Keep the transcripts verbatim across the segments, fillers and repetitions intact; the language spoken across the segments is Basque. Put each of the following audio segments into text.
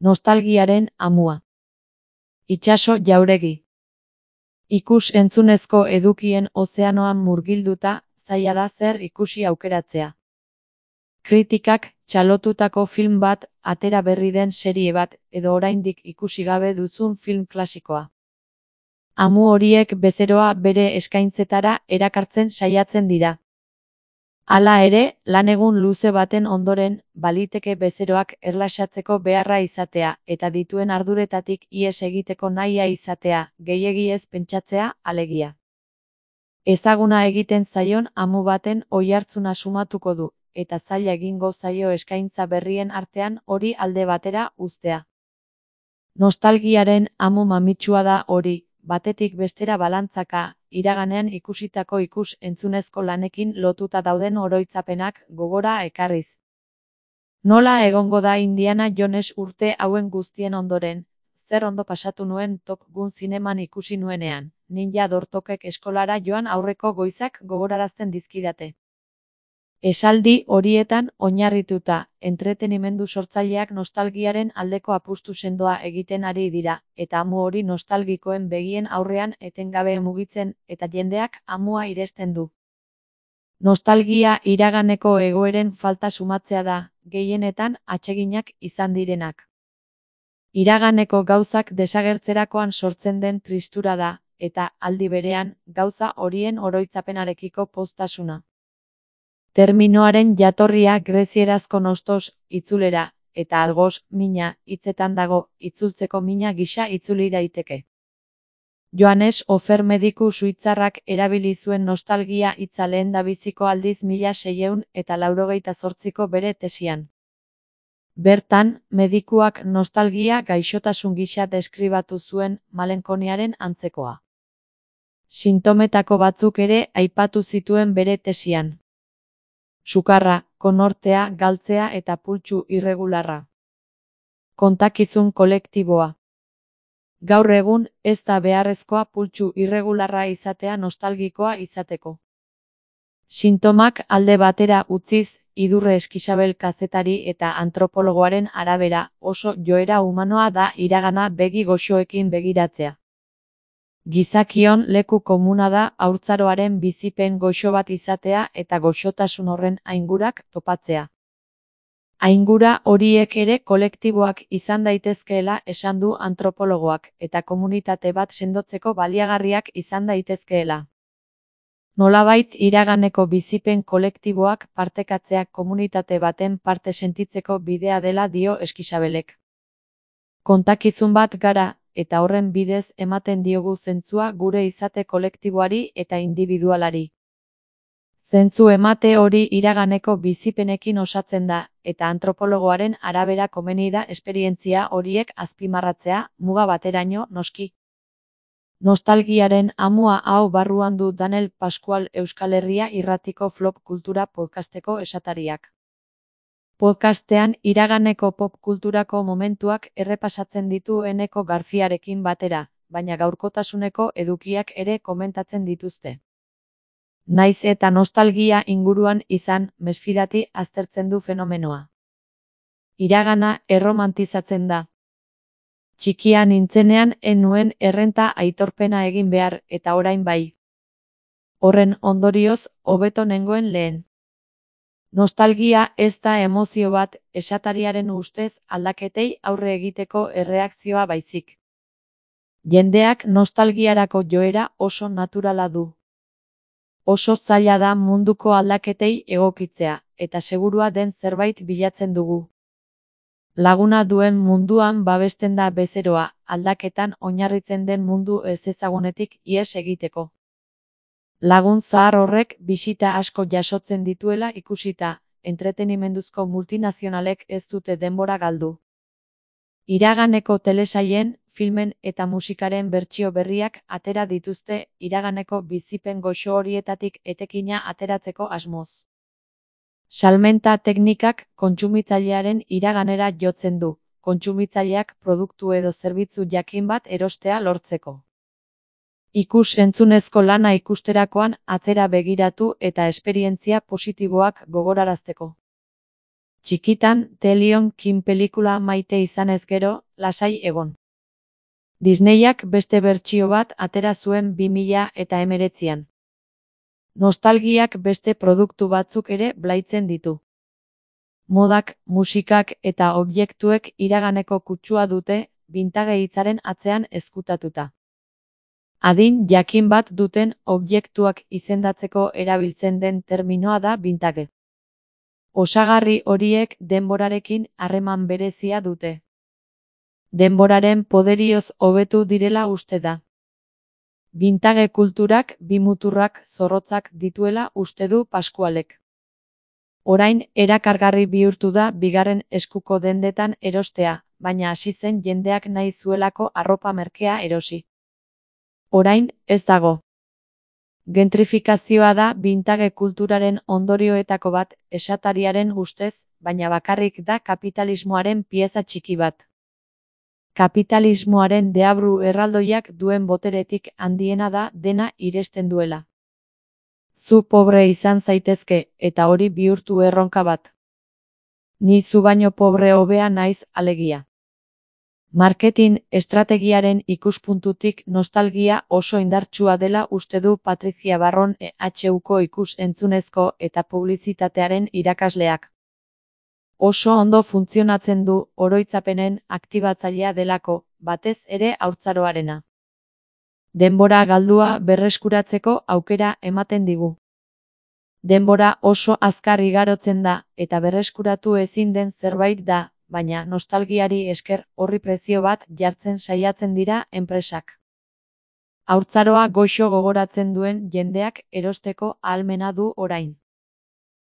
Nostalgiaren amua. Itsaso Jauregi. Ikus-entzunezko edukien ozeanoan murgilduta, zaila da zer ikusi aukeratzea. Kritikak txalotutako film bat, atera berri den serie bat, edo oraindik ikusi gabe duzun film klasikoa. Amu horiek bezeroa bere eskaintzetara erakartzen saiatzen dira. Hala ere, lanegun luze baten ondoren, baliteke bezeroak erlaxatzeko beharra izatea, eta dituen arduretatik ihes egiteko nahia izatea, gehiegi ez pentsatzea, alegia. Ezaguna egiten zaion amu baten oihartzuna sumatuko du, eta zaila egingo zaio eskaintza berrien artean hori alde batera uztea. Nostalgiaren amu mamitsua da hori, batetik bestera balantzaka, iraganean ikusitako ikus-entzunezko lanekin lotuta dauden oroitzapenak gogora ekarriz. Nola egongo da Indiana Jones urte hauen guztien ondoren, zer ondo pasatu nuen Top Gun zineman ikusi nuenean, ninja dortokek eskolara joan aurreko goizak gogorarazten dizkidate. Esaldi horietan oinarrituta, entretenimendu sortzaileak nostalgiaren aldeko apustu sendoa egiten ari dira, eta amu hori nostalgikoen begien aurrean etengabe mugitzen, eta jendeak amua iresten du. Nostalgia iraganeko egoeren falta sumatzea da, gehienetan atseginak izan direnak. Iraganeko gauzak desagertzerakoan sortzen den tristura da, eta aldi berean, gauza horien oroitzapenarekiko poztasuna. Terminoaren jatorria grezierazko nostos, itzulera, eta algos, mina, hitzetan dago, itzultzeko mina gisa itzuli daiteke. Johannes Ofer mediku suitzarrak erabili zuen nostalgia hitza lehendabiziko aldiz mila seiehun eta laurogeita zortziko bere tesian. Bertan, medikuak nostalgia gaixotasun gisa deskribatu zuen malenkoniaren antzekoa. Sintometako batzuk ere aipatu zituen bere tesian. Sukarra, konortea, galtzea eta pultsu irregularra. Kontakizun kolektiboa. Gaur egun, ez da beharrezkoa pultsu irregularra izatea nostalgikoa izateko. Sintomak alde batera utziz, Idurre Eskixabel kazetari eta antropologoaren arabera, oso joera humanoa da iragana begi goxoekin begiratzea. Gizakion leku komuna da haurtzaroaren bizipen goxo bat izatea eta goxotasun horren aingurak topatzea. Aingura horiek ere kolektiboak izan daitezkeela esan du antropologoak, eta komunitate bat sendotzeko baliagarriak izan daitezkeela. Nolabait iraganeko bizipen kolektiboak partekatzeak komunitate baten parte sentitzeko bidea dela dio Eskixabelek. Kontakizun bat gara, eta horren bidez ematen diogu zentzua gure izate kolektiboari eta indibidualari. Zentzu emate hori iraganeko bizipenekin osatzen da, eta antropologoaren arabera komeni da esperientzia horiek azpimarratzea, muga bateraino noski. Nostalgiaren amua hau barruan du Daniel Pascual Euskal Herria Irratiko Flop Kultura podcasteko esatariak. Podcastean iraganeko pop kulturako momentuak errepasatzen ditu Eneko Garziarekin batera, baina gaurkotasuneko edukiak ere komentatzen dituzte. Naiz eta nostalgia inguruan izan, mesfidati aztertzen du fenomenoa. Iragana erromantizatzen da. Txikia nintzenean ez nuen errenta aitorpena egin behar, eta orain bai. Horren ondorioz, hobeto nengoen lehen. Nostalgia ez da emozio bat, esatariaren ustez aldaketei aurre egiteko erreakzioa baizik. Jendeak nostalgiarako joera oso naturala du. Oso zaila da munduko aldaketei egokitzea, eta segurua den zerbait bilatzen dugu. Laguna duen munduan babesten da bezeroa, aldaketan oinarritzen den mundu ezezagunetik ihes egiteko. Lagun zahar horrek bisita asko jasotzen dituela ikusita, entretenimenduzko multinazionalek ez dute denbora galdu. Iraganeko telesaien, filmen eta musikaren bertsio berriak atera dituzte iraganeko bizipen goxo horietatik etekina ateratzeko asmoz. Salmenta teknikak kontsumitzailearen iraganera jotzen du, kontsumitzaileak produktu edo zerbitzu jakin bat erostea lortzeko. Ikus-entzunezko lana ikusterakoan atzera begiratu eta esperientzia positiboak gogorarazteko. Txikitan, The Lion King pelikula maite izanez gero, lasai egon. Disneyak beste bertsio bat atera zuen bi mila eta hemeretzian. Nostalgiak beste produktu batzuk ere blaitzen ditu. Modak, musikak eta objektuek iraganeko kutsua dute, vintage hitzaren atzean ezkutatuta. Adin jakin bat duten objektuak izendatzeko erabiltzen den terminoa da vintage. Osagarri horiek denborarekin harreman berezia dute. Denboraren poderioz hobetu direla uste da. Vintage kulturak bi muturrak zorrotzak dituela uste du Pascualek. Orain erakargarri bihurtu da bigarren eskuko dendetan erostea, baina hasi zen jendeak nahi zuelako arropa merkea erosi. Orain, ez dago. Gentrifikazioa da vintage kulturaren ondorioetako bat, esatariaren ustez, baina bakarrik da kapitalismoaren pieza txiki bat. Kapitalismoaren deabru erraldoiak duen boteretik handiena da dena iresten duela. Zu pobre izan zaitezke, eta hori bihurtu erronka bat. Ni zu baino pobre hobea naiz alegia. Marketing estrategiaren ikuspuntutik nostalgia oso indartsua dela uste du Patricia Barron E H Uko ikus-entzunezko eta publizitatearen irakasleak. Oso ondo funtzionatzen du oroitzapenen aktibatzailea delako, batez ere haurtzaroarena. Denbora galdua berreskuratzeko aukera ematen digu. Denbora oso azkar igarotzen da, eta berreskuratu ezin den zerbait da, baina nostalgiari esker horri prezio bat jartzen saiatzen dira enpresak. Haurtzaroa goxo gogoratzen duen jendeak erosteko ahalmena du orain.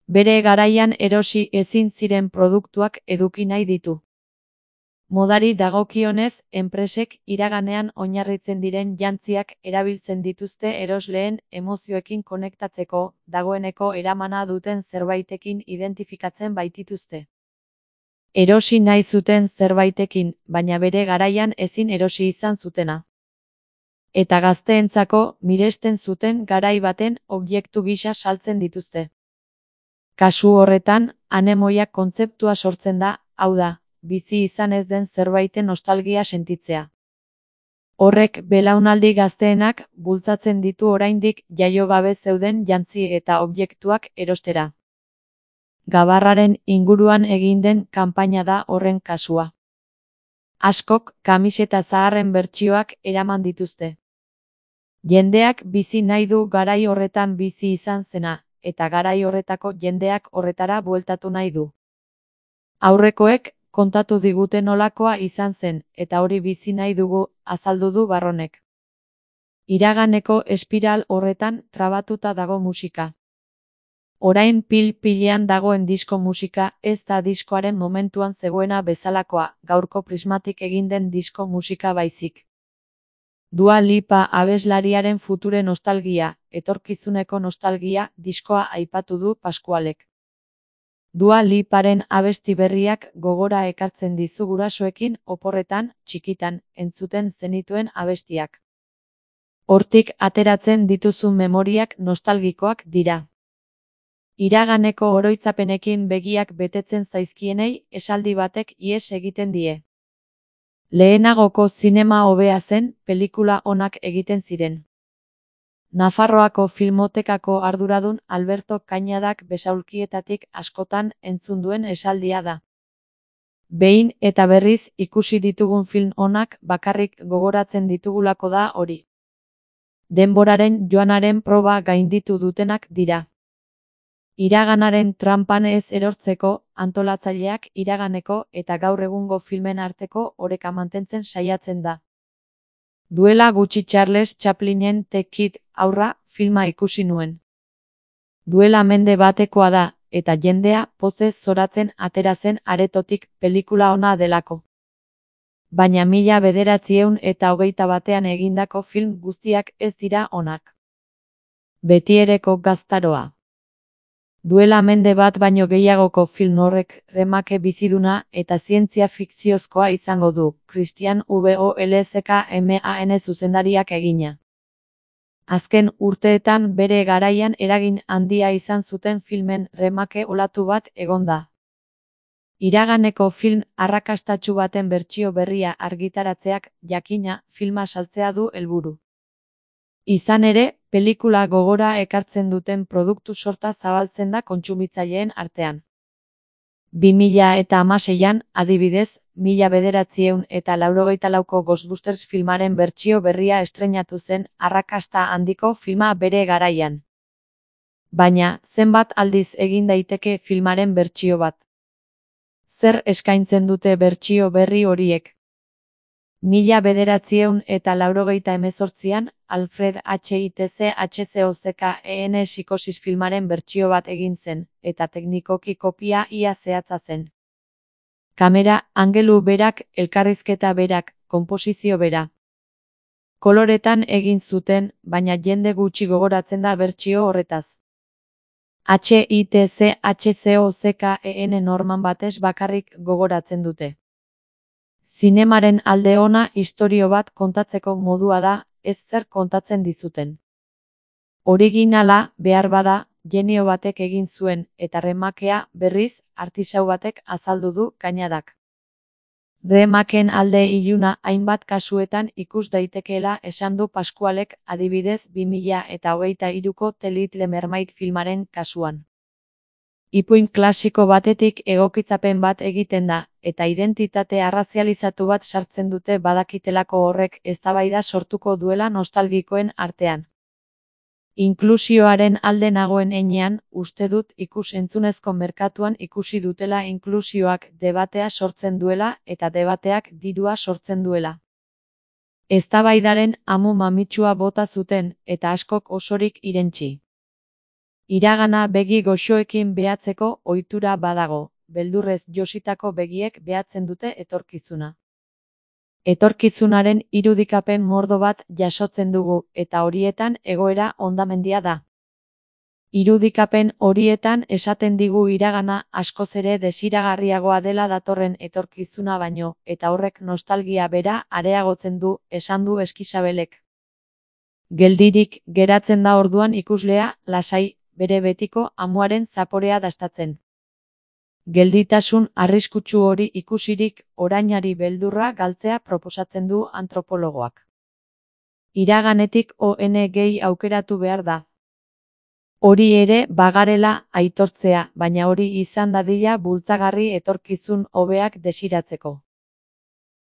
Bere garaian erosi ezin ziren produktuak eduki nahi ditu. Modari dagokionez, enpresek iraganean oinarritzen diren jantziak erabiltzen dituzte erosleen emozioekin konektatzeko, dagoeneko eramana duten zerbaitekin identifikatzen baitituzte. Erosi nahi zuten zerbaitekin, baina bere garaian ezin erosi izan zutena. Eta gazteentzako miresten zuten garai baten objektu gisa saltzen dituzte. Kasu horretan, anemoiak kontzeptua sortzen da, hau da, bizi izan ez den zerbaiten nostalgia sentitzea. Horrek belaunaldi gazteenak bultzatzen ditu oraindik jaio gabe zeuden jantzi eta objektuak erostera. Gabarraren inguruan egin den kanpaina da horren kasua. Askok kamiseta zaharren bertsioak eraman dituzte. Jendeak bizi nahi du garai horretan bizi izan zena, eta garai horretako jendeak horretara bueltatu nahi du. Aurrekoek kontatu digute nolakoa izan zen, eta hori bizi nahi dugu, azaldu du Barronek. Iraganeko espiral horretan trabatuta dago musika. Orain pil-pilean dagoen disko musika ez da diskoaren momentuan zegoena bezalakoa, gaurko prismatik egin den disko musika baizik. Dua Lipa abeslariaren future nostalgia, etorkizuneko nostalgia, diskoa aipatu du Pascualek. Dua Liparen abesti berriak gogora ekartzen dizu gurasoekin oporretan, txikitan, entzuten zenituen abestiak. Hortik ateratzen dituzun memoriak nostalgikoak dira. Iraganeko oroitzapenekin begiak betetzen zaizkienei esaldi batek ihes egiten die. Lehenagoko zinema hobea zen, pelikula onak egiten ziren. Nafarroako Filmotekako arduradun Alberto Cañadak besaulkietatik askotan entzun duen esaldia da. Behin eta berriz ikusi ditugun film onak bakarrik gogoratzen ditugulako da hori. Denboraren joanaren proba gainditu dutenak dira. Iraganaren tranpan ez erortzeko, antolatzaileak iraganeko eta gaur egungo filmen arteko oreka mantentzen saiatzen da. Duela gutxi Charles Chaplinen The Kid aurra filma ikusi nuen. Duela mende batekoa da, eta jendea pozez zoratzen atera zen aretotik pelikula ona delako. Baina mila bederatziehun eta hogeita batean egindako film guztiak ez dira onak. Betiereko gaztaroa. Duela mende bat baino gehiagoko film horrek remake biziduna eta zientzia fikziozkoa izango du, Christian Wolzkman zuzendariak egina. Azken urteetan bere garaian eragin handia izan zuten filmen remake olatu bat egon da. Iraganeko film arrakastatsu baten bertsio berria argitaratzeak, jakina, filma saltzea du helburu. Izan ere, pelikula gogora ekartzen duten produktu sorta zabaltzen da kontsumitzaileen artean. bi mila eta hamaseian, adibidez, mila bederatziehun eta laurogeita lauko Ghostbusters filmaren bertsio berria estreinatu zen arrakasta handiko filma bere garaian. Baina, zenbat aldiz egin daiteke filmaren bertsio bat? Zer eskaintzen dute bertsio berri horiek? Mila bederatziehun eta laurogeita hemezortzian, Alfred Hitchcocken Psikosis filmaren bertsio bat egin zen, eta teknikoki kopia ia zehatza zen. Kamera, angelu berak, elkarrizketa berak, konposizio bera. Koloretan egin zuten, baina jende gutxi gogoratzen da bertsio horretaz. Hitchcocken norman batez bakarrik gogoratzen dute. Zinemaren alde ona istorio bat kontatzeko modua da, ez zer kontatzen dizuten. Originala, behar bada, genio batek egin zuen, eta remakea, berriz, artisau batek azaldu du Kañadak. Remaken alde iluna hainbat kasuetan ikus daitekeela esan du Pascualek, adibidez bi mila eta hogeita hiruko The Little Mermaid filmaren kasuan. Ipuin klasiko batetik egokitzapen bat egiten da, eta identitate arrazializatu bat sartzen dute badakitelako horrek eztabaida sortuko duela nostalgikoen artean. Inklusioaren alde nagoen heinean, uste dut ikus-entzunezko merkatuan ikusi dutela inklusioak debatea sortzen duela eta debateak dirua sortzen duela. Eztabaidaren amu mamitsua bota zuten, eta askok osorik irentsi. Iragana begi goxoekin behatzeko ohitura badago, beldurrez jositako begiek behatzen dute etorkizuna. Etorkizunaren irudikapen mordo bat jasotzen dugu, eta horietan egoera hondamendia da. Irudikapen horietan esaten digu iragana askoz ere desiragarriagoa dela datorren etorkizuna baino, eta horrek nostalgia bera areagotzen du, esan du Eskisabelek. Geldirik geratzen da orduan ikuslea, lasai, bere betiko amuaren zaporea dastatzen. Gelditasun arriskutsu hori ikusirik, orainari beldurra galtzea proposatzen du antropologoak. Iraganetik on gehi aukeratu behar da. Hori ere bagarela aitortzea, baina hori izan dadila bultzagarri etorkizun hobeak desiratzeko.